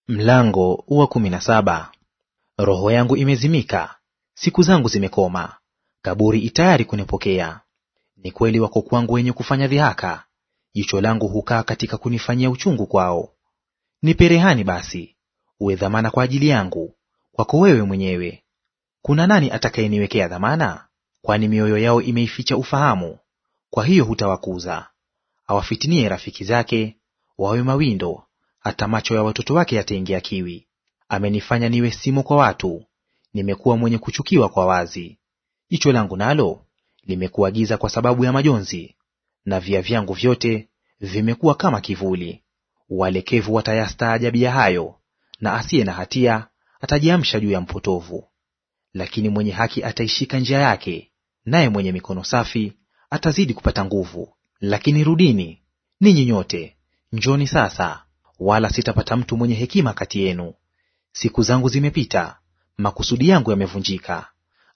Mlango wa 17. Roho yangu imezimika, siku zangu zimekoma, kaburi itayari kunipokea. Ni kweli wako kwangu wenye kufanya dhihaka, jicho langu hukaa katika kunifanyia uchungu kwao. Nipe rehani basi, uwe dhamana kwa ajili yangu, kwako wewe mwenyewe. Kuna nani atakayeniwekea dhamana? Kwani mioyo yao imeificha ufahamu, kwa hiyo hutawakuza. Awafitinie rafiki zake, wawe mawindo, hata macho ya watoto wake yataingia kiwi. Amenifanya niwe simo kwa watu, nimekuwa mwenye kuchukiwa kwa wazi. Jicho langu nalo limekuwa giza kwa sababu ya majonzi, na via vyangu vyote vimekuwa kama kivuli. Walekevu watayastaajabia hayo, na asiye na hatia atajiamsha juu ya mpotovu. Lakini mwenye haki ataishika njia yake, naye mwenye mikono safi atazidi kupata nguvu. Lakini rudini ninyi nyote, njoni sasa, wala sitapata mtu mwenye hekima kati yenu. Siku zangu zimepita, makusudi yangu yamevunjika.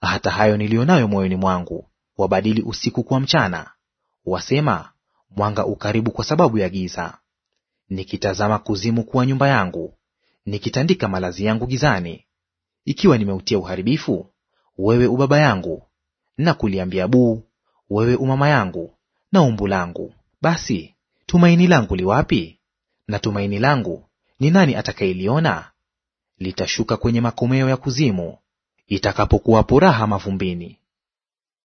Hata hayo nilionayo moyoni mwangu, wabadili usiku kuwa mchana, wasema mwanga ukaribu kwa sababu ya giza. Nikitazama kuzimu kuwa nyumba yangu, nikitandika malazi yangu gizani. Ikiwa nimeutia uharibifu, wewe ubaba yangu, na kuliambia buu, wewe umama yangu na umbu langu, basi tumaini langu liwapi? Na tumaini langu ni nani atakayeliona? Litashuka kwenye makomeo ya kuzimu, itakapokuwapo raha mavumbini.